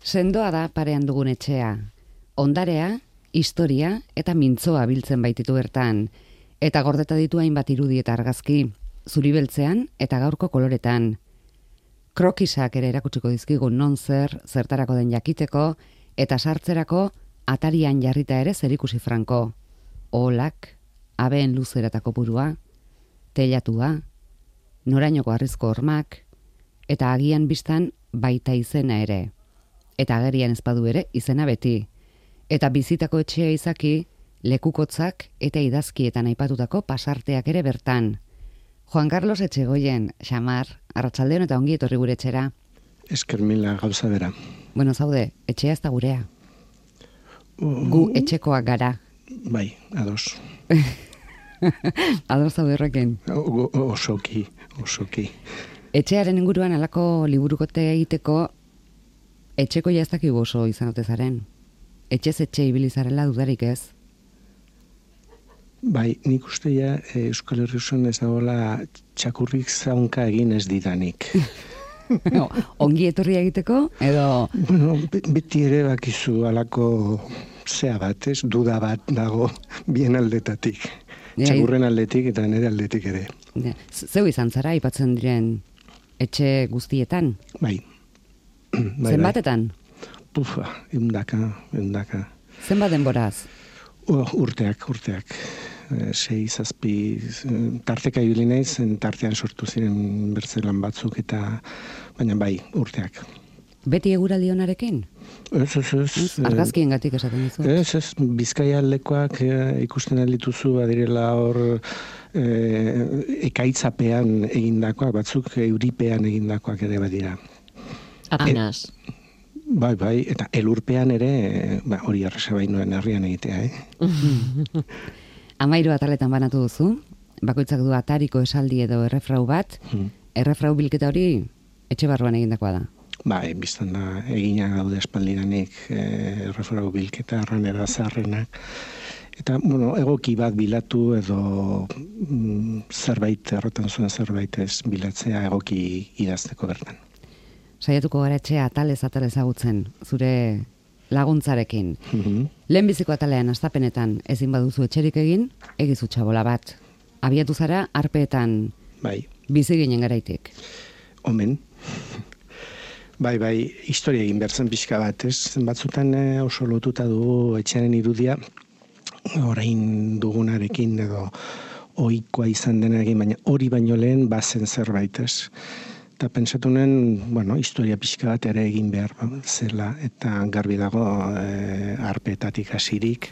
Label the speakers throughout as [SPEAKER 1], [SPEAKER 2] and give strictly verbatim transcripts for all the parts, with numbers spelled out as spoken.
[SPEAKER 1] Sendoa da parean dugun etxea. Ondarea, historia eta mintzoa biltzen baititu bertan. Eta gordeta ditu hainbat irudi eta argazki, zuri beltzean eta gaurko koloretan. Krokisak ere erakutsiko dizkigu non zer, zertarako den jakiteko, eta sartzerako atarian jarrita ere zerikusi franko. Oholak, abeen luzeratako burua, teilatua, norainoko harrizko hormak, eta agian bistan baita izena ere. Eta agerian ezpadu ere izena beti. Eta bizitako etxea izaki, lekukotzak eta idazkietan aipatutako pasarteak ere bertan. Juan Carlos Etxegoien, xamar, arratsaldeon eta ongi etorri gure etxera.
[SPEAKER 2] Esker mila gauza bera.
[SPEAKER 1] Bueno, zaude, etxea ez da gurea. Gu etxekoak gara.
[SPEAKER 2] Bai, ados.
[SPEAKER 1] Ados zaude horrekin.
[SPEAKER 2] Osoki, osoki.
[SPEAKER 1] Etxearen inguruan halako liburukote egiteko etxeko ja ez dakigu oso izan ote zaren. Etxez etxe ibili zarela dudarik ez?
[SPEAKER 2] Bai, nik uste ja Euskal Herri osoan ez dagoela txakurrik zaunka egin ez didanik.
[SPEAKER 1] No, ongi etorri egiteko, edo...
[SPEAKER 2] Bueno, beti ere bakizu alako zea bat, ez? Duda bat dago bien aldetatik. Txakurren aldetik eta nire aldetik ere.
[SPEAKER 1] Ja. Zeu izan zara, aipatzen diren etxe guztietan?
[SPEAKER 2] Bai. Bai,
[SPEAKER 1] zenbatetan?
[SPEAKER 2] Pufa, eundaka, eundaka.
[SPEAKER 1] Zenbat denboraz?
[SPEAKER 2] Uh, urteak, urteak. E, sei, zazpi, tarteka ibili naiz, tartean sortu ziren bertzelan batzuk, eta baina bai, urteak.
[SPEAKER 1] Beti eguraldi onarekin?
[SPEAKER 2] Ez, ez, ez.
[SPEAKER 1] Argazkien gatik esaten dizu?
[SPEAKER 2] Ez, ez, Bizkaia aldekoak e, ikusten aldituzu, badirela hor e, ekaitzapean egindakoak, batzuk euripean egindakoak ere badira.
[SPEAKER 3] Apenas.
[SPEAKER 2] E, bai, bai, eta elurpean ere, ba, hori arrasa bainoen herrian egitea, eh?
[SPEAKER 1] Amairu ataletan banatu duzu, bakoitzak du atariko esaldi edo errefrau bat, hmm. errefrau bilketa hori etxe barruan egindakoa da.
[SPEAKER 2] Bai, biztan da, egina gaude espaldiranik eh, errefrau bilketa, arranera zaharrenak. Eta, bueno, egoki bat bilatu edo mm, zerbait, errotan zuen zerbait ez bilatzea egoki idazteko bertan.
[SPEAKER 1] Saiatuko gara etxea atalez atalez agutzen, zure laguntzarekin. Mm-hmm. Lehenbiziko atalean astapenetan ezin baduzu etxerik egin, egizu txabola bat. Abiatu zara arpeetan
[SPEAKER 2] bai.
[SPEAKER 1] Bizi ginen garaitik.
[SPEAKER 2] Omen. Bai, bai, historia egin bertzen pixka bat, ez? Batzutan oso lotuta dugu etxearen irudia, orain dugunarekin edo ohikoa izan denarekin, baina hori baino lehen bazen zerbait, ez? Eta pentsatu nuen, bueno, historia pixka bat ere egin behar zela, eta garbi dago e, arpetatik hasirik,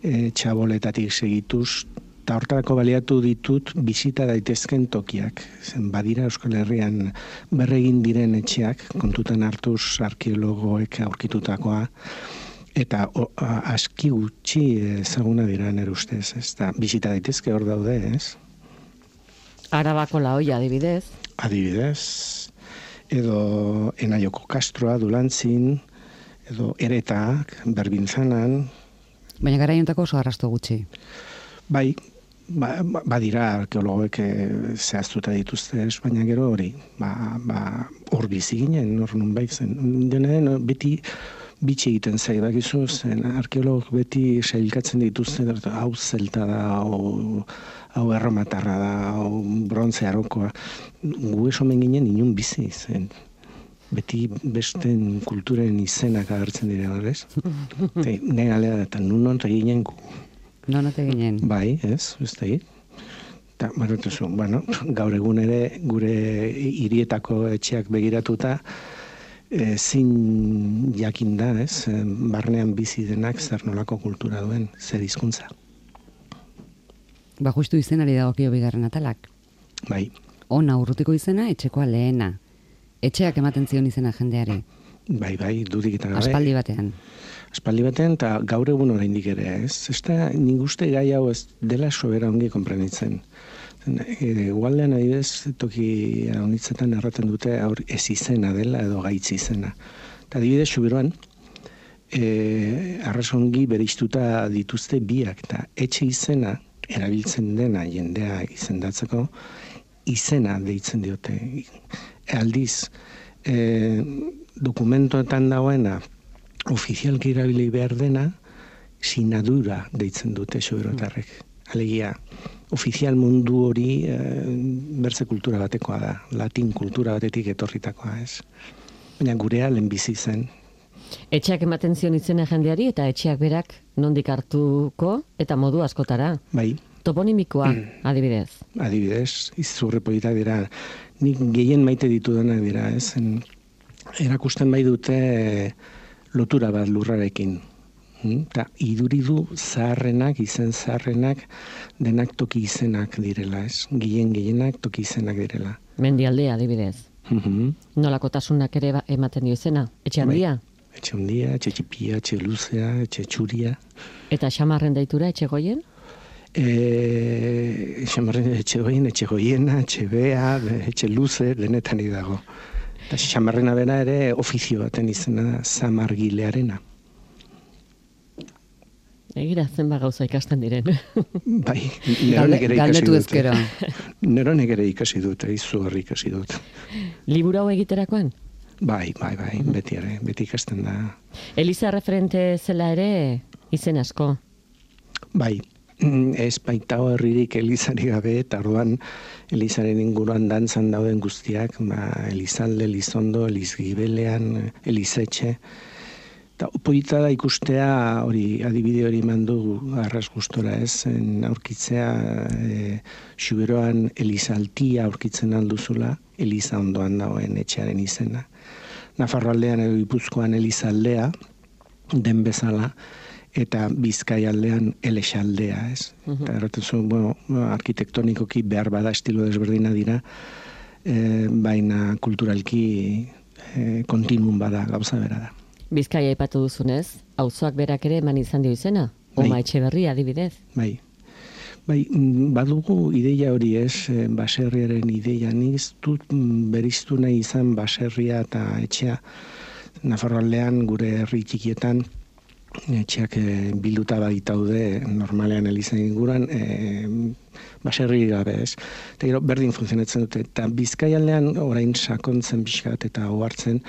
[SPEAKER 2] e, txaboletatik segituz, eta hortarako baliatu ditut bisita daitezken tokiak. Zen badira Euskal Herrian berregin diren etxeak, kontutan hartuz arkeologoek aurkitutakoa, eta o, a, aski gutxi ezaguna dira nire ustez, ez da, bisita daitezke hor daude, ez?
[SPEAKER 3] Arabako Laoia, adibidez.
[SPEAKER 2] Adibidez, edo Enaioko Kastroa, Dulantzin, edo Eretak, Berbintzanan.
[SPEAKER 1] Baina garaiontako oso arrasto gutxi.
[SPEAKER 2] Bai, ba, badira arkeologoek zehaztuta dituzte, baina gero hori, ba, ba, hor bizi ginen, hor nun baitzen. Denen, beti bitxi egiten zai, bakizu, zen arkeologok beti sailkatzen dituzte, hau zelta da, hau, hau erromatarra da, hau brontze arokoa. Gu esomen ginen inun bizi zen. Beti besten kulturen izenak agertzen dira, horrez? Ne galea da, eta nun onta ginen gu.
[SPEAKER 1] Non ote ginen?
[SPEAKER 2] Bai, ez, ez da hit. Eta, bueno, gaur egun ere gure hirietako etxeak begiratuta, E, zin jakin da, ez, barnean bizi denak zer nolako kultura duen, zer hizkuntza.
[SPEAKER 1] Ba, justu izenari dagokio bigarren atalak.
[SPEAKER 2] Bai.
[SPEAKER 1] Ona urrutiko izena, etxekoa lehena. Etxeak ematen zion izena jendeari.
[SPEAKER 2] Bai, bai, dudik eta gabe.
[SPEAKER 1] Aspaldi batean.
[SPEAKER 2] Aspaldi batean, eta gaur egun oraindik ere, ez? Ez da, nik uste gai hau ez dela sobera ongi konprenitzen. Egualdean adibidez, toki honitzetan erraten dute aur ez izena dela edo gaitz izena. Eta adibidez, Xubiroan, e, arrasongi bereiztuta dituzte biak, eta etxe izena erabiltzen dena jendea izendatzeko, izena deitzen diote. Aldiz, e, dokumentoetan dagoena, ofizialki erabili behar dena, sinadura deitzen dute soberotarrek. Alegia, ofizial mundu hori e, berze kultura batekoa da, latin kultura batetik etorritakoa, ez. Baina gurea lehenbizi zen.
[SPEAKER 3] Etxeak ematen zion izena jendeari eta etxeak berak nondik hartuko eta modu askotara.
[SPEAKER 2] Bai.
[SPEAKER 3] Toponimikoa, adibidez.
[SPEAKER 2] Adibidez, izurre politak dira. Nik gehien maite ditudanak dira, ez. En, erakusten bai dute lotura bat lurrarekin. Eta iduridu zaharrenak, izen zaharrenak, denak toki izenak direla, ez? Gehien gehienak toki izenak direla.
[SPEAKER 3] Mendialdea, adibidez.
[SPEAKER 2] Mm-hmm.
[SPEAKER 3] Nolakotasunak ere ematen dio izena? Etxe handia?
[SPEAKER 2] Bai. Etxe handia, etxe txipia, etxe luzea, etxe txuria.
[SPEAKER 3] Eta xamarren deitura etxe goien?
[SPEAKER 2] E, xamarren etxe goien, etxe goiena, etxe bea, etxe luze, denetan dago. Eta xamarrena bera ere ofizio baten izena zamargilearena.
[SPEAKER 3] Egira zenba gauza ikasten diren.
[SPEAKER 2] Bai, neronek ere ikasi dut.
[SPEAKER 1] ezkero.
[SPEAKER 2] Neronek ere ikasi dut, izugarri ikasi dut.
[SPEAKER 3] Liburu hau egiterakoan?
[SPEAKER 2] Bai, bai, bai, beti ere, beti ikasten da.
[SPEAKER 3] Eliza referente zela ere izen asko.
[SPEAKER 2] Bai, ez baitao herririk Elizari gabe, eta orduan Elizaren inguruan dantzan dauden guztiak, ba, Elizalde, Elizondo, Elizgibelean, Elizetxe. Eta polita da ikustea hori, adibide hori mandu arras gustora, ez, aurkitzea e, Xuberoan Elizaltia aurkitzen alduzula, Eliza ondoan dagoen etxearen izena. Nafarroaldean edo Gipuzkoan Elizaldea, den bezala, eta Bizkaialdean Elexaldea, ez. Uh-huh. Eta erraten zuen, bueno, arkitektonikoki behar bada estilo desberdina dira, e, baina kulturalki e, kontinuum bada, gauza bera da.
[SPEAKER 3] Bizkaia aipatu duzunez, auzoak berak ere eman izan dio izena?
[SPEAKER 2] Bai.
[SPEAKER 3] Oma Etxeberria, adibidez?
[SPEAKER 2] Bai. Bai, badugu ideia hori, ez, baserriaren ideia. Nik ez dut beriztu nahi izan baserria eta etxea. Nafarroaldean, gure herri txikietan, etxeak e, bilduta baitaude normalean Elizan inguruan, e, baserri gabe, ez. Eta gero berdin funtzionatzen dute. Eta Bizkaialdean orain sakontzen pixkat eta ohartzen,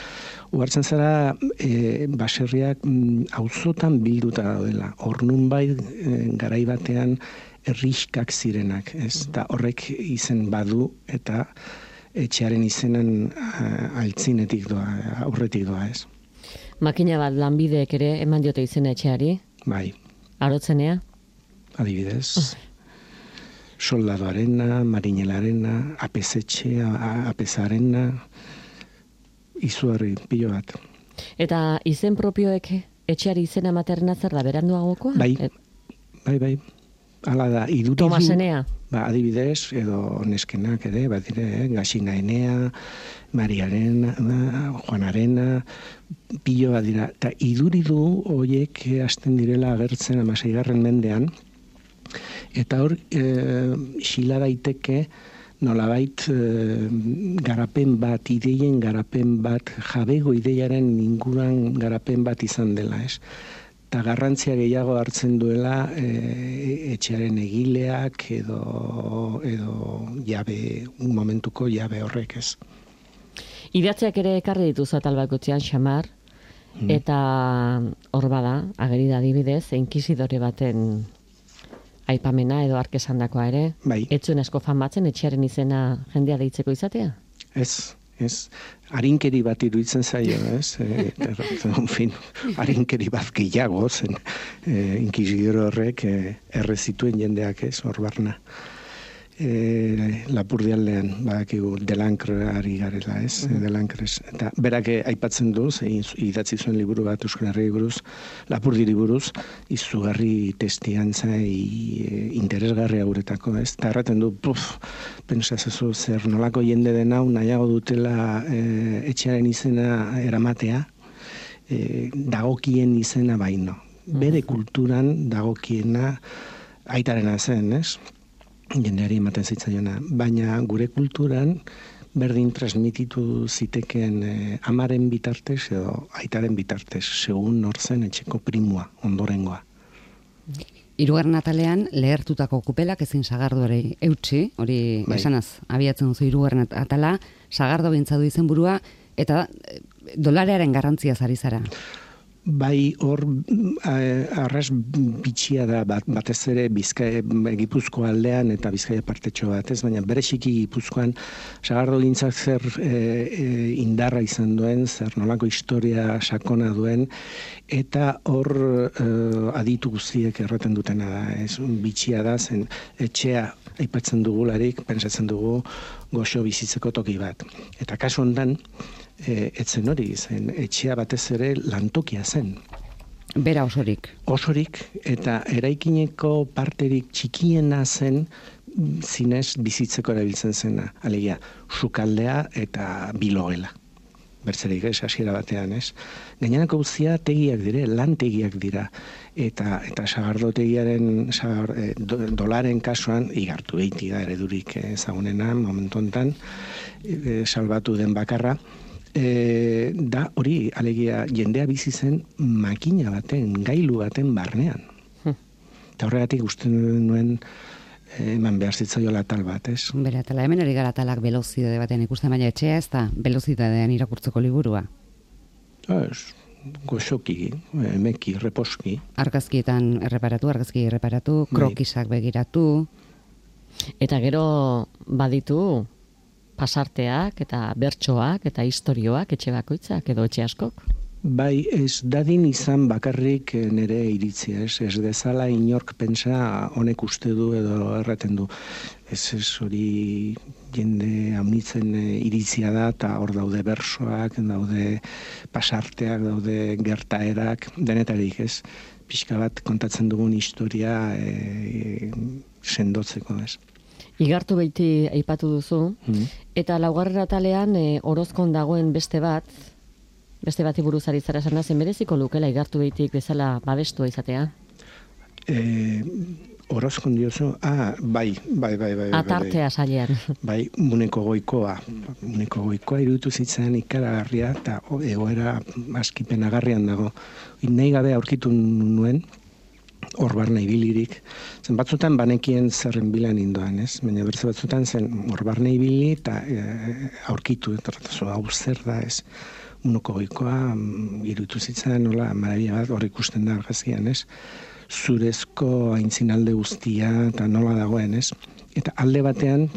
[SPEAKER 2] ohartzen zara e, baserriak auzotan bilduta daudela. Hor nunbait e, garai batean herrixkak zirenak, ez. Eta horrek izen badu eta etxearen izenen altzinetik doa, aurretik doa, ez.
[SPEAKER 3] Makina bat lanbideek ere eman diote izena etxeari?
[SPEAKER 2] Bai.
[SPEAKER 3] Arotzenea?
[SPEAKER 2] Adibidez. Soldadoarena, marinelarena, apezetxe, apezarena, izugarri pilo bat.
[SPEAKER 3] Eta izen propioek etxeari izena materna zer da, beranduagokoa?
[SPEAKER 2] Bai, bai, bai. Hala da, iduridu...
[SPEAKER 3] Tomasenea?
[SPEAKER 2] Ba, adibidez, edo neskenak ere, bat dire, eh? Gasina Enea, Mariarena, Juanarena, pilo bat dira. Eta iduridu horiek hasten direla agertzen amaseigarren mendean, eta hor, e, xila daiteke, nolabait e, garapen bat, ideien garapen bat, jabego ideiaren inguruan garapen bat izan dela, ez? Eta garrantzia gehiago hartzen duela e, etxearen egileak edo, edo jabe, un momentuko jabe horrek, ez.
[SPEAKER 3] Idatziak ere ekarri dituzu atal bakotzean xamar, mm. eta hor bada, ageri da adibidez, inkisidore baten aipamena edo arkesandakoa ere.
[SPEAKER 2] Bai.
[SPEAKER 3] Ez zuen asko famatzen etxearen izena jendea deitzeko izatea?
[SPEAKER 2] Ez. Ez, harinkeri bat iruditzen zaio, ez? E, en fin, harinkeri bat gehiago, zen e, inkisidore horrek e, erre zituen jendeak, ez, hor barna. E, Lapurdialdean, badakigu, Delancre ari garela, ez? Mm-hmm. Delancre, eta berak aipatzen du, zein idatzi zuen liburu bat Euskal Herri buruz, Lapurdiri buruz, izugarri testiantza e, interesgarri hauretako, ez? Eta erraten du, puf, pentsazezu zer nolako jende den hau nahiago dutela e, etxearen izena eramatea, e, dagokien izena baino. Bere kulturan dagokiena aitarena zen, ez? Jendeari ematen zitzaiona, baina gure kulturan berdin transmititu ziteken eh, amaren bitartez edo aitaren bitartez, segun nortzen etxeko primua, ondorengoa.
[SPEAKER 1] Hirugarren atalean lehertutako kupelak ezin sagardoari eutsi, hori bai. Esanaz, abiatzen duzu hirugarren atala, sagardo bintza du izenburua, eta dolarearen garrantzia zari zara.
[SPEAKER 2] Bai, hor arras bitxia da bat, batez ere Bizkaia Gipuzkoa aldean eta Bizkaia partetxo bat, ez? Baina bereziki Gipuzkoan sagardogintzak zer e, e, indarra izan duen, zer nolako historia sakona duen, eta hor e, aditu guztiek erraten dutena da, ez? Bitxia da, zen etxea aipatzen dugularik, pentsatzen dugu goxo bizitzeko toki bat. Eta kasu hontan, E, etzen hori, zen, etxea batez ere lantokia zen.
[SPEAKER 1] Bera osorik.
[SPEAKER 2] Osorik, eta eraikineko parterik txikiena zen zinez bizitzeko erabiltzen zena. Alegia, sukaldea eta bilogela. Bertzerik, ez, hasiera batean, ez. Gainerako guztia tegiak dire, lantegiak dira. Eta, eta sagardotegiaren, sagar, e, do, dolaren kasuan, igartu behiti da eredurik ezagunena, momentu hontan, e, salbatu den bakarra, E, da hori, alegia, jendea bizi zen makina baten, gailu baten barnean. Hmm. Eta horregatik uste nuen eman behar zitzaiola tal bat, ez?
[SPEAKER 1] Bera, tala hemen hori gara talak velozidade baten ikusten, baina etxea ez da velozidadean irakurtzeko liburua.
[SPEAKER 2] Ez, goxoki, emeki, reposki.
[SPEAKER 1] Argazkietan erreparatu, argazki erreparatu, krokisak begiratu.
[SPEAKER 3] Eta gero baditu pasarteak eta bertsoak eta istorioak etxe bakoitzak edo etxe askok?
[SPEAKER 2] Bai, ez dadin izan bakarrik nire iritzia, ez, ez dezala inork pentsa honek uste du edo erraten du. Ez ez hori jende amnitzen iritzia da, eta hor daude bersoak, daude pasarteak, daude gertaerak, denetarik, ez. Pixka bat kontatzen dugun historia e, sendotzeko, ez.
[SPEAKER 3] Igartu beiti aipatu duzu, mm. eta laugarren atalean e, Orozkon dagoen beste bat, beste bati buruz ari zara esan da, zen bereziko lukela igartu beitik bezala babestua izatea?
[SPEAKER 2] E, Orozkon diozu, ah, bai, bai, bai, bai.
[SPEAKER 3] Atartea bai, sailean.
[SPEAKER 2] Bai, Muneko Goikoa. Muneko Goikoa iruditu zitzen ikaragarria, eta egoera askipenagarrian dago. Nahi gabe aurkitu nuen, hor barna ibilirik. Zen batzutan banekien zerren bilan indoan, ez? Baina berze batzutan zen hor barna ibili eta e, aurkitu, eta hau zer da, ez? Muneko Goikoa iruditu zitzen, nola, marabia bat hor ikusten da argazkian, ez? Zurezko aintzinalde guztia eta nola dagoen, ez? Eta alde batean,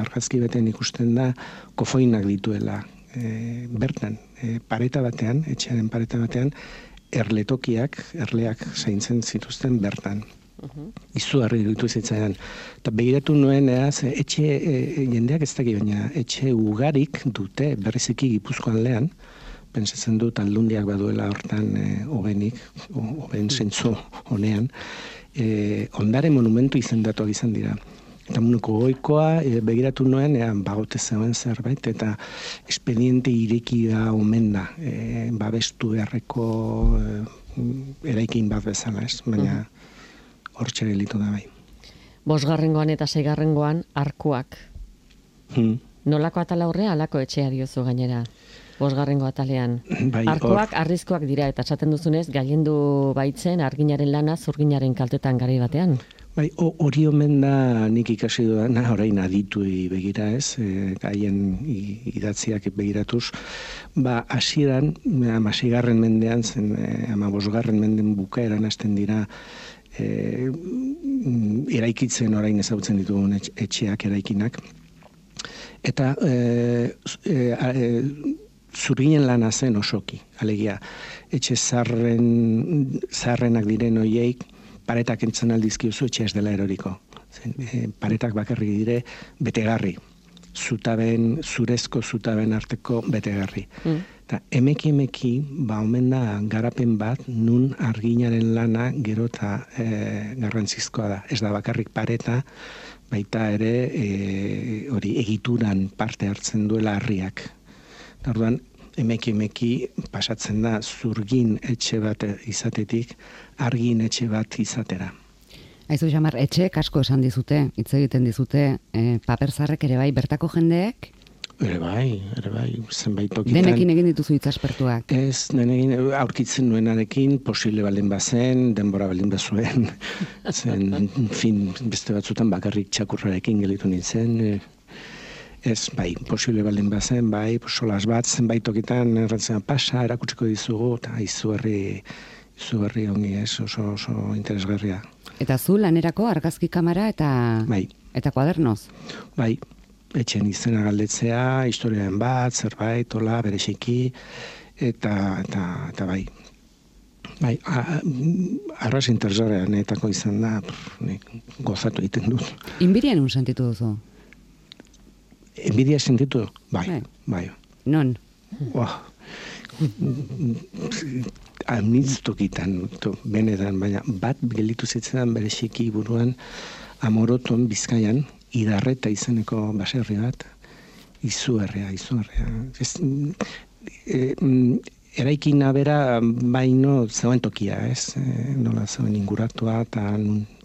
[SPEAKER 2] argazki batean ikusten da, kofoinak dituela e, bertan, e, pareta batean, etxearen pareta batean, erletokiak, erleak zaintzen zituzten bertan. Uh-huh. Izugarri iruditu zitzaidan. Eta begiratu nuen, eaz, etxe, e, jendeak ez daki, baina etxe ugarik dute, berriziki Gipuzko aldean, pentsatzen dut aldundiak baduela hortan e, obenik, oben zentzu honean, e, ondare monumentu izendatuak izan dira. Eta Muneko Goikoa e, begiratu nuen, ean bagote zegoen zerbait, eta expediente ireki da omen da, e, babestu beharreko e, eraikin bat bezala, ez? Baina hor txere gelitu da bai.
[SPEAKER 3] Bosgarrengoan eta seigarrengoan arkuak. Hmm. Nolako atala horrea, alako etxea diozu gainera? Bosgarrengo atalean.
[SPEAKER 2] Bai,
[SPEAKER 3] arkuak or... arrizkoak dira, eta esaten duzunez, gailendu baitzen arginaren lana zurginaren kaltetan garai batean.
[SPEAKER 2] Bai, hori omen da nik ikasi duena, orain adituei begira, ez, e, gaien idatziak begiratuz, ba, hasieran, hamaseigarren mendean, zen, hamabosgarren menden bukaeran hasten dira, e, eraikitzen orain ezagutzen ditugun etxeak eraikinak, eta e, e, e, zurginen lana zen osoki, alegia, etxe zarren, zarrenak diren hoiek, paretak entzun aldizkiuzu etxe ez dela eroriko. Zen, e, paretak bakarrik dire betegarri. Zutaben, zurezko zutaben arteko betegarri. Mm. Eta emeki emeki, ba omen da garapen bat, nun arginaren lana gero eta e, garrantzizkoa da. Ez da bakarrik pareta, baita ere e, hori egituran parte hartzen duela harriak. Orduan, emeki emeki pasatzen da zurgin etxe bat izatetik argin etxe bat izatera.
[SPEAKER 1] Aizu Xamar, etxe asko esan dizute, hitz egiten dizute, e, paperzarrek ere bai, bertako jendeek?
[SPEAKER 2] Ere bai, ere bai, zenbait tokitan.
[SPEAKER 1] Denekin egin dituzu hitzaspertuak?
[SPEAKER 2] Ez, denekin aurkitzen nuenarekin, posible baldin bazen, denbora baldin bazuen, zen, fin, beste batzutan bakarrik txakurrarekin gelitu nintzen, Ez, bai, posible baldin bazen, bai, solas bat, zenbait tokitan errantzen pasa, erakutsiko dizugu, eta izugarri, izugarri ongi ez, oso, oso interesgarria.
[SPEAKER 1] Eta zu lanerako argazki kamera eta,
[SPEAKER 2] bai.
[SPEAKER 1] eta kuadernoz?
[SPEAKER 2] Bai, etxen izena galdetzea, historiaren bat, zerbait, hola, bereziki, eta, eta, eta bai. Bai, arras interesgarrean etako izan da, nik gozatu egiten dut.
[SPEAKER 1] Inbirian un sentitu duzu?
[SPEAKER 2] Enbidia sentitu? Bai, bai. bai.
[SPEAKER 1] Non?
[SPEAKER 2] Oh. Amnitztokitan, benetan, baina bat gelitu zitzen bereziki buruan Amoroton Bizkaian, Idarreta izeneko baserri bat, izugarria, izugarria. Ez, e, eraikina bera baino zegoen tokia, ez? E, nola zegoen inguratua eta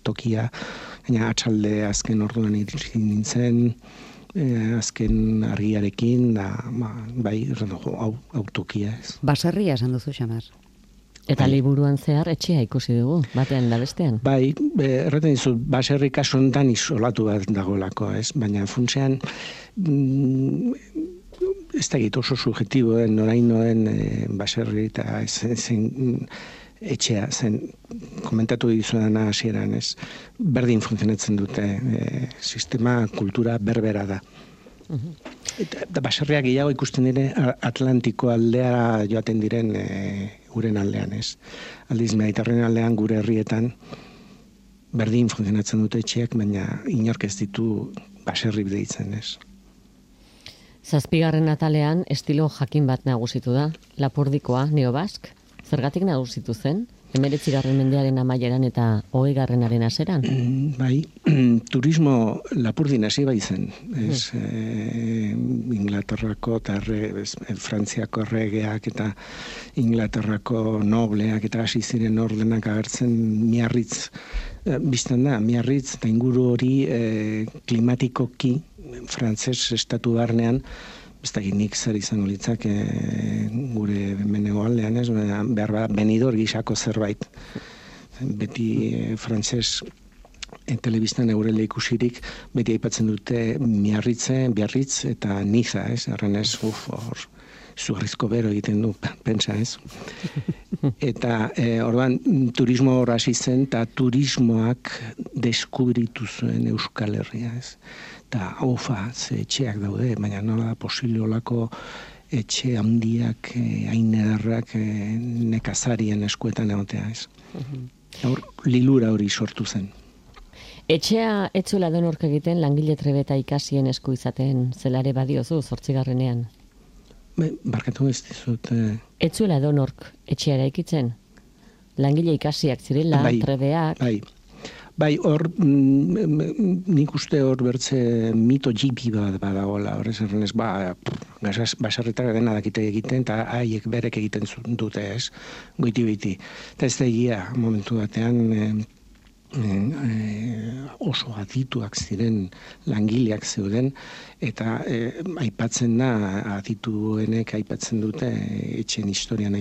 [SPEAKER 2] tokia, baina atxalde azken orduan iritsi nintzen, e, azken argiarekin, da, ba, bai, hau, hau tokia, ez?
[SPEAKER 1] Baserria esan duzu, Xamar.
[SPEAKER 3] Eta
[SPEAKER 2] bai.
[SPEAKER 3] liburuan zehar etxea ikusi dugu, batean da bestean.
[SPEAKER 2] Bai, erraten dizut, baserri kasu honetan isolatu bat dagoelako, ez? Baina funtsean, mm, ez da egit oso subjetibo den, noraino den e, baserri eta zen, zen etxea, zen komentatu dizudan hasieran, ez? Berdin funtzionatzen dute, e, sistema, kultura berbera da. Uh-huh. Eta, eta baserriak gehiago ikusten dire Atlantiko aldea joaten diren e, uren aldean, ez? Aldiz, Mediterraneo aldean gure herrietan berdin funtzionatzen dute etxeak, baina inork ez ditu baserri deitzen, ez?
[SPEAKER 3] Zazpigarren atalean estilo jakin bat nagusitu da, Lapurdikoa, neobask. Zergatik nagusitu zen? Hemeretzigarren mendearen amaieran eta hogeigarrenaren hasieran?
[SPEAKER 2] Mm, bai, turismo Lapurdin hasi bai zen. Ez, mm. e, Inglaterrako eta Frantziako erregeak eta Inglaterrako nobleak eta hasi ziren ordenak agertzen Miarritz. E, biztan da, Miarritz eta inguru hori e, klimatikoki frantzes estatu barnean, ez da nik zer izango litzak e, gure menego aldean, ez, behar bat benidor gixako zerbait. Beti e, frantzes e, telebistan eurele ikusirik, beti aipatzen dute Miarritze, Biarritz eta Niza, ez, erren ez, uf, hor, zugarrizko bero egiten du, pentsa, ez. Eta e, orduan turismo hor hasi zen, eta turismoak deskubritu zuen Euskal Herria, ez. Eta, ofa, ze etxeak daude, baina nola da posible olako etxe handiak, hain ederrak, e, nekazarien eskuetan egotea, ez. Hor, lilura hori sortu zen.
[SPEAKER 3] Etxea etzuela donork egiten langile trebeta ikasien esku izaten zelare badiozu zortzigarrenean?
[SPEAKER 2] Be, barkatu ez dizut... E...
[SPEAKER 3] Etzuela donork etxea eraikitzen? Langile ikasiak zirela,
[SPEAKER 2] bai,
[SPEAKER 3] trebeak...
[SPEAKER 2] Bai, Bai, hor, mm, nik uste hor bertze mito jipi bat badagoela, horrez errenez, ba, basarritak dena dakite egiten, eta haiek berek egiten dute, ez, goiti biti. Eta ez da egia, momentu batean, e, e, oso adituak ziren langileak zeuden, eta e, aipatzen da, adituenek aipatzen dute, etxen historian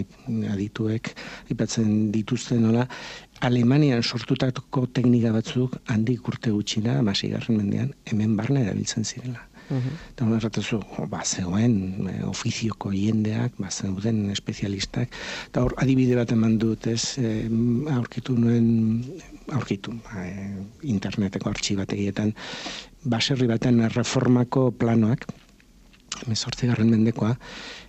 [SPEAKER 2] adituek aipatzen dituzten nola, Alemanian sortutako teknika batzuk handik urte gutxira, hamaseigarren mendean, hemen barne erabiltzen zirela. Uh-huh. Eta hona erratazu, ba, zegoen ofizioko jendeak, ba, zeuden espezialistak, eta hor adibide bat eman dut, ez, e, aurkitu nuen, aurkitu, ba, e, interneteko artxibategietan, baserri baten reformako planoak, hemezortzigarren mendekoa,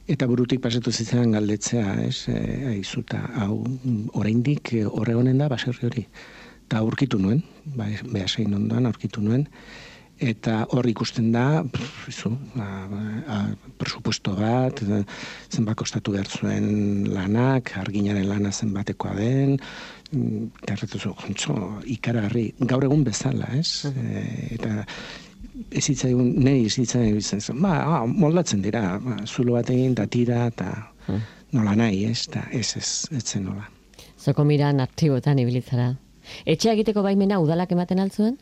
[SPEAKER 2] eta burutik pasatu zitzen galdetzea, ez, e, aizuta, hau, oraindik horregonen da baserri hori. Eta aurkitu nuen, ba, behasein ondoan aurkitu nuen, eta hor ikusten da, izu, a, a, presupuesto bat, zenbat kostatu behar zuen lanak, arginaren lana zenbatekoa den, eta erretuzu, jontzo, ikaragarri, gaur egun bezala, ez, e, eta ez hitzaigun, nahi ez hitzaigun bizten zen, ba, ah, moldatzen dira, ba, zulo bat egin, eta tira, eta hmm. nola nahi, ez, eta ez, ez, ez zen nola.
[SPEAKER 3] Zoko miran aktiboetan ibilitzara. Etxea egiteko baimena udalak ematen altzuen?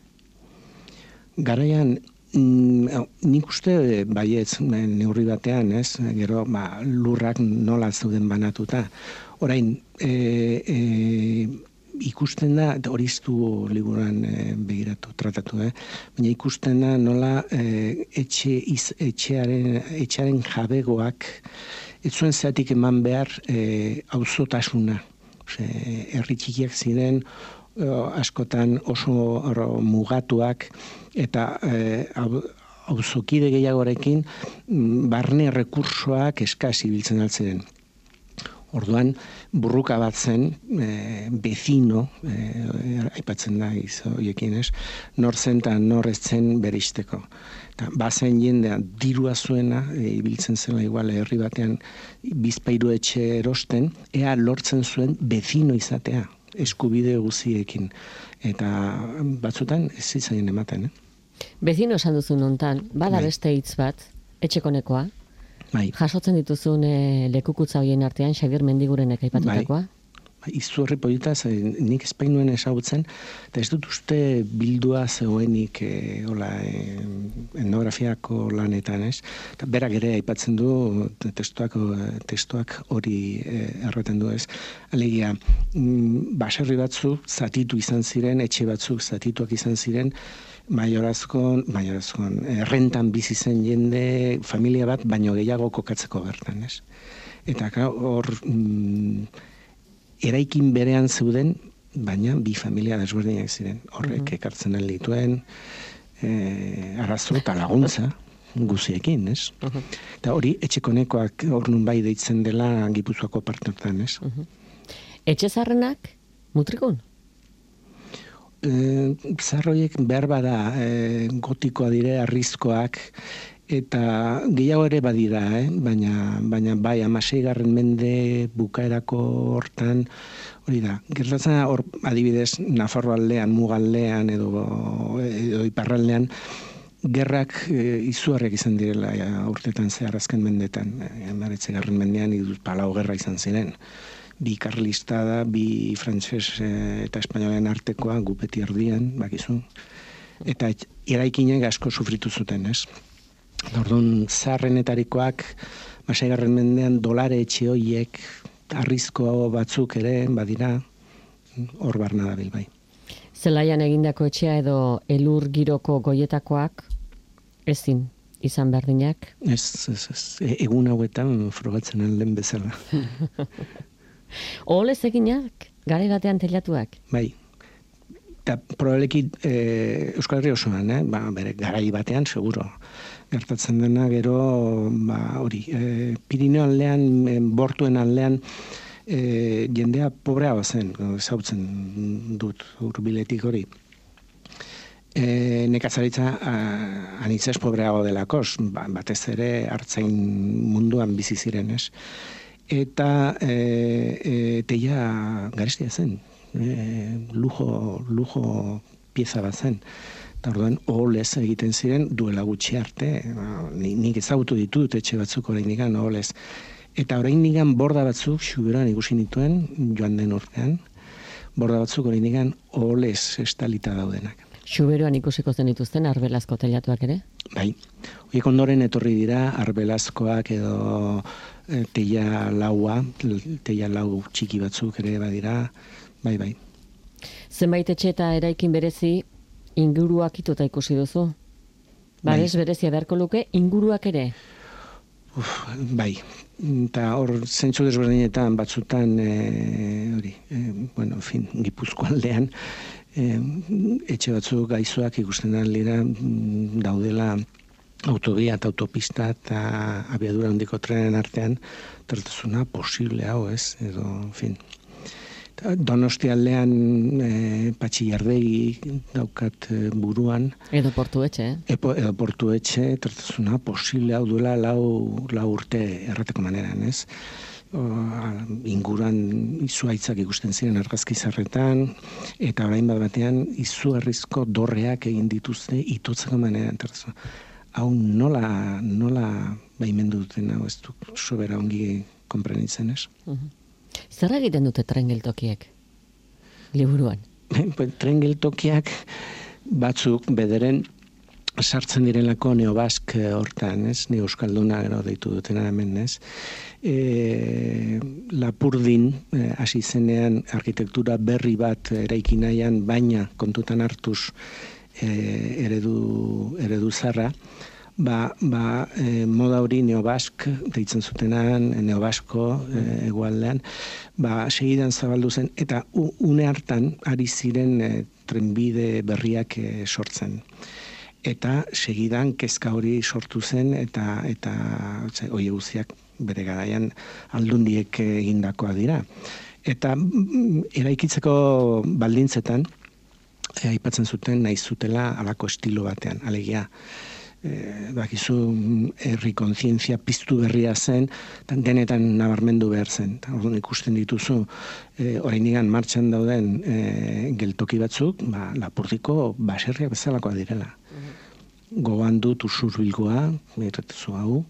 [SPEAKER 2] Garaian, mm, nik uste baietz neurri batean, ez, gero, ba, lurrak nola zeuden banatuta. Orain, e, e, ikusten da, hori ez du liburuan e, begiratu, tratatu, eh? baina ikusten da nola e, etxe, iz, etxearen, etxearen jabegoak ez zuen zeatik eman behar e, auzotasuna. Herri txikiak ziren, askotan oso oro, mugatuak, eta e, auzokide gehiagorekin barne rekursoak eskasi biltzen altziren. Orduan, burruka bat zen, e, bezino, e, aipatzen da izoiekin, ez? Nor zen eta nor ez zen beristeko. Eta bazen jendea dirua zuena, e, ibiltzen zela igual herri batean bizpairu etxe erosten, ea lortzen zuen bezino izatea, eskubide guziekin. Eta batzutan ez zitzaien ematen, eh?
[SPEAKER 3] Bezino esan duzun hontan, bada
[SPEAKER 2] Bai.
[SPEAKER 3] beste hitz bat, etxekonekoa,
[SPEAKER 2] Bai.
[SPEAKER 3] jasotzen dituzun e, lekukutza hoien artean Xabier Mendigurenek aipatutakoa?
[SPEAKER 2] Bai, izu horri polita, nik espainuen esagutzen, eta ez dut uste bildua zegoenik e, hola, e, etnografiako lanetan, ez? Eta berak ere aipatzen du testuak, testuak hori e, erraten du, ez? Alegia, mm, baserri batzuk zatitu izan ziren, etxe batzuk zatituak izan ziren, maiorazkon, maiorazkon, errentan bizi zen jende, familia bat, baino gehiago kokatzeko bertan, ez? Eta hor, mm, eraikin berean zeuden, baina bi familia desberdinak ziren. Horrek mm-hmm. ekartzen dituen, e, arazo eta laguntza guziekin, ez? Mm-hmm. Eta hori, etxekonekoak hor nun bai deitzen dela Gipuzkoako parte hortan, ez?
[SPEAKER 3] Mm-hmm. Etxe zarrenak, mutrikun?
[SPEAKER 2] E, zarroiek behar bada e, gotikoa dire, arrizkoak, eta gehiago ere badira, eh? baina, baina bai, amaseigarren mende bukaerako hortan, hori da, gertatzen hor adibidez, Nafarro aldean, Mugaldean edo, edo Iparraldean, gerrak e, izuarrek izan direla ja, urtetan zehar azken mendetan, emaretzegarren mendean iduz palau gerra izan ziren. Bi karlista da, bi frantses eta espainolen artekoa, gupeti erdian, bakizu. Eta eraikinek asko sufritu zuten, ez? Orduan, zaharrenetarikoak, masaigarren mendean, dolare etxe hoiek, arrizko batzuk ere, badira, hor barna dabil bai.
[SPEAKER 3] Zelaian egindako etxea edo elur giroko goietakoak, ezin izan berdinak?
[SPEAKER 2] Ez, ez, ez. Egun hauetan frogatzen alden bezala.
[SPEAKER 3] Oholez eginak, garai batean telatuak?
[SPEAKER 2] Bai. Eta probabeleki e, Euskal Herri osoan, eh? ba, bere garai batean, seguro. Gertatzen dena gero, ba, hori, e, Pirineo aldean, e, bortuen aldean, e, jendea pobrea zen, zautzen dut urbiletik hori. E, nekazaritza anitzez pobreago delakoz, ba, batez ere hartzain munduan bizi ziren, ez? Eta e, e, teia garestia zen, e, lujo, lujo pieza bat zen. Eta orduan, oholez egiten ziren duela gutxi arte, nik ezagutu ditut etxe batzuk oraindik oholez. Eta oraindik borda batzuk Xuberoan ikusi nituen, joan den urtean, borda batzuk oraindik oholez estalita daudenak.
[SPEAKER 3] Xuberoan ikusiko zen dituzten arbelazko telatuak ere?
[SPEAKER 2] Bai. Horiek ondoren etorri dira arbelazkoak edo e, teia laua, teia lau txiki batzuk ere badira, bai, bai.
[SPEAKER 3] Zenbait etxe eta eraikin berezi inguruak ituta ikusi duzu? Babes bai. Berezia beharko luke inguruak ere?
[SPEAKER 2] Uf, bai. Eta hor zentzu desberdinetan batzutan e, hori, e, bueno, en fin, Gipuzko aldean, E, etxe batzuk gaizoak ikusten dira daudela autobia eta autopista eta abiadura handiko trenen artean, tertazuna posible hau, ez? Edo, en fin. Donosti aldean e, Patxi Jardegi daukat e, buruan.
[SPEAKER 3] Edo portu etxe, eh?
[SPEAKER 2] Epo, edo portu etxe, tertazuna posible hau duela lau, lau urte errateko maneran, ez? O, inguruan izuaitzak ikusten ziren argazki zarretan, eta orain bat batean izugarrizko dorreak egin dituzte itotzeko maneran. Hau nola, nola baimendu duten, hau ez du sobera ongi konprenitzen, ez?
[SPEAKER 3] Uh-huh. Zer egiten dute tren geltokiek liburuan?
[SPEAKER 2] Tren geltokiak batzuk bederen sartzen direlako neobask hortan, ez? Neo euskalduna gero deitu dutena hemen, ez? E, Lapurdin hasi zenean arkitektura berri bat eraiki nahian, baina kontutan hartuz e, eredu, eredu zarra, ba, ba e, moda hori neobask deitzen zutenan, neobasko e, egualdean, ba segidan zabaldu zen, eta une hartan ari ziren e, trenbide berriak e, sortzen. Eta segidan kezka hori sortu zen, eta eta hori guztiak bere garaian aldundiek egindakoa dira. Eta eraikitzeko baldintzetan, e, aipatzen zuten nahi zutela halako estilo batean, alegia. E, bakizu herri kontzientzia piztu berria zen, denetan nabarmendu behar zen. Orduan ikusten dituzu, e, oraindikan martxan dauden e, geltoki batzuk, ba, Lapurdiko baserriak bezalakoa direla. Gogoan dut Usurbilgoa, erretezu hau,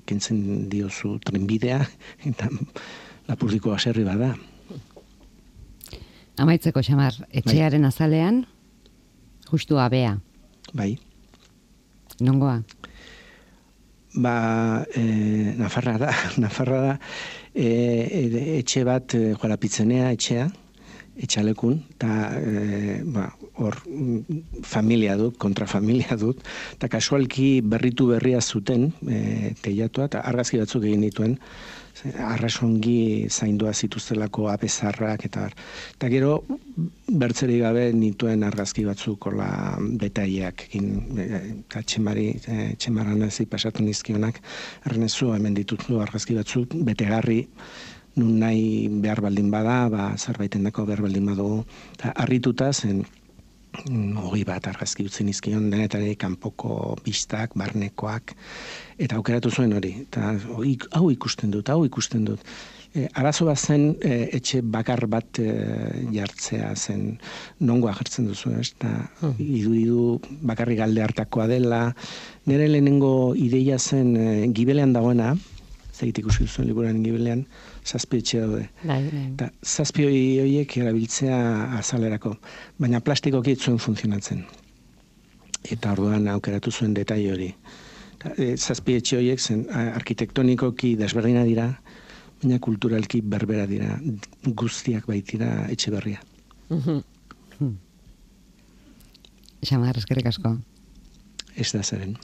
[SPEAKER 2] kentzen diozu trenbidea, eta Lapurdiko baserri bada.
[SPEAKER 1] Amaitzeko, Xamar, etxearen azalean, justu abea.
[SPEAKER 2] Bai.
[SPEAKER 1] Nongoa?
[SPEAKER 2] Ba, e, Nafarra da, Nafarra da, e, etxe bat, e, Joarapitzenea etxea, etxalekun, eta e, ba, hor familia dut, kontrafamilia dut, eta kasualki berritu berria zuten e, teilatua, eta argazki batzuk egin dituen, arrasongi zaindua zituztelako apezarrak, eta eta gero bertzerik gabe nituen argazki batzuk hola detaileak egin, eta txemari, e, txemaran ezi pasatu nizkionak, errenezu hemen ditutu argazki batzuk, betegarri, nun nahi behar baldin bada, ba, zerbaiten dako behar baldin badugu. Eta harrituta zen, hogei bat argazki utzi nizkion, denetari kanpoko bistak, barnekoak, eta aukeratu zuen hori. Eta hau ikusten dut, hau ikusten dut. E, arazo bat zen, e, etxe bakar bat e, jartzea zen, nongoa jartzen duzu, ez? Eta hmm. idu-idu bakarrik alde hartakoa dela. Nire lehenengo ideia zen e, Gibelean dagoena, zait ikusi duzuen liburuaren Gibelean, zazpi etxe daude. Eta zazpi horiek erabiltzea azalerako, baina plastikoki ez zuen funtzionatzen. Eta orduan aukeratu zuen detaile hori. E, zazpi etxe horiek zen arkitektonikoki desberdina dira, baina kulturalki berbera dira, guztiak baitira etxe berria.
[SPEAKER 1] Xamar, eskerrik asko.
[SPEAKER 2] Ez da zeren.